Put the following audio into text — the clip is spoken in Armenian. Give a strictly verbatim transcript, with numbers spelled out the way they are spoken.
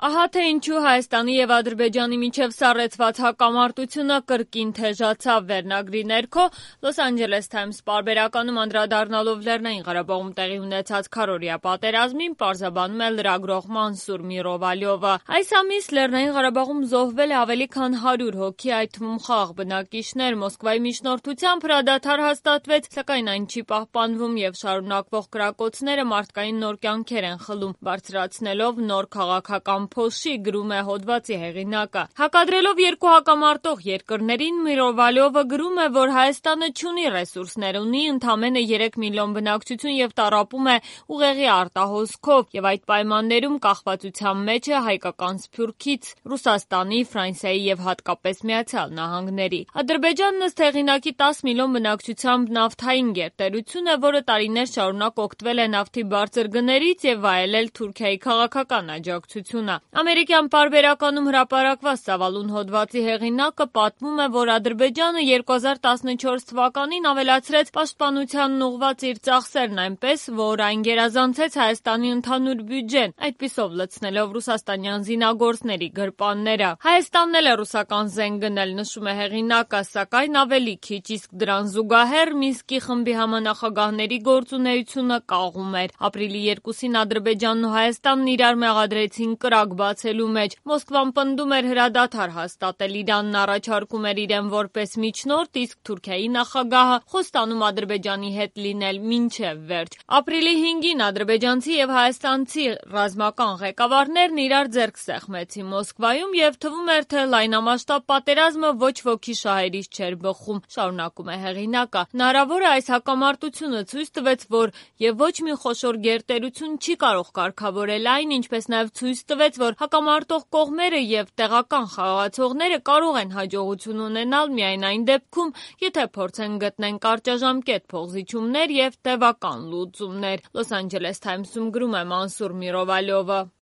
Ահա թե ինչու Հայաստանի եւ Ադրբեջանի միջև սառեցված հակամարտությունը կրկին թեժացավ վերնագրի ներքո Լոս Անջելես Թայմս պարբերականում անդրադառնալով Լեռնային Ղարաբաղում տեղի ունեցած քառօրյա պատերազմին պարզաբանում է լրագրող Մանսուր Միրովալյովը։ Այս ամիս Լեռնային Ղարաբաղում զոհվել է ավելի քան հարյուր հոգի, այդ թվում խաղաղ բնակիչներ։ Մոսկվայի միջնորդությամբ հրադադար հաստատվեց, սակայն այն չի պահպանվում եւ շարունակվող կրակոցները մարդկային նոր կյանքեր են խլում, բարձրացնելով նոր քաղաքական փոշի, գրում է հոդվածի հեղինակը։ Հակադրելով երկու հակամարտող երկրներին, Միրովալյովը գրում է, որ Հայաստանը չունի ռեսուրսներ, ունի ընդամենը երեք միլիոն բնակչություն եւ տառապում է ուղեղի արտահոսքով եւ այդ պայմաններում կախվածության մեջ է հայկական Սփյուռքից, Ռուսաստանի, Ֆրանսիայի եւ հատկապես Միացյալ Նահանգների։ Ադրբեջանն ըստ հեղինակի տասը միլիոն բնակչությամբ նավթային գերտերություն է, որը տարիներ շարունակ օգտվել է նավթի բարձր գներից եւ վայելել Թուրքիայի քաղաքական աջակցությունը։ Ամերիկյան պարբերականում հրապարակված ծավալուն հոդվածի հեղինակը պատմում է, որ Ադրբեջանը երկու հազար տասնչորս թվականին ավելացրեց պաշտպանությանն ուղղված իր ծախսերն այնպես, որ այն գերազանցեց Հայաստանի ընդհանուր բյուջեն, այդպիսով լցնելով ռուսաստանյան զինագործների գրպանները։ Հայաստանն էլ է ռուսական զենք գնել, նշում է հեղինակը, սակայն ավելի քիչ, իսկ դրան զուգահեռ Մինսկի խմբի համանախագահների գործունեությունը կաղում էր։ Ապրիլի երկուսին Ադրբեջանն ու Հայաստանն իրար մեղադրեցին կրակ բացելու մեջ։ Մոսկվան պնդում էր հրադադար հաստատել, Իրանն առաջարկում էր իրեն որպես միջնորդ, իսկ Թուրքիայի նախագահը խոստանում Ադրբեջանի հետ լինել մինչև վերջ։ Ապրիլի հինգին ադրբեջանցի եւ հայաստանցի ռազմական ղեկավարներն իրար ձեռք սեղմեցին Մոսկվայում եւ թվում էր, թե լայնամասշտաբ պատերազմը ոչ ոքի շահերից չէր բխում, շարունակում է հեղինակը։ Հնարավոր է այս հակամարտությունը ցույց տվեց, որ եւ ոչ մի խոշոր գերտերություն չի կարող կարգավորել այն, ինչպես նաեւ ցույց տվեց, որ հակամարտող կողմերը եւ տեղական խաղացողները կարող են հաջողություն ունենալ միայն այն դեպքում, եթե փորձեն գտնեն կարճաժամկետ փոխզիջումներ եւ տևական լուծումներ։ Լոս Անջելես Թայմսում գրում է Մանսուր Միրովալյովը։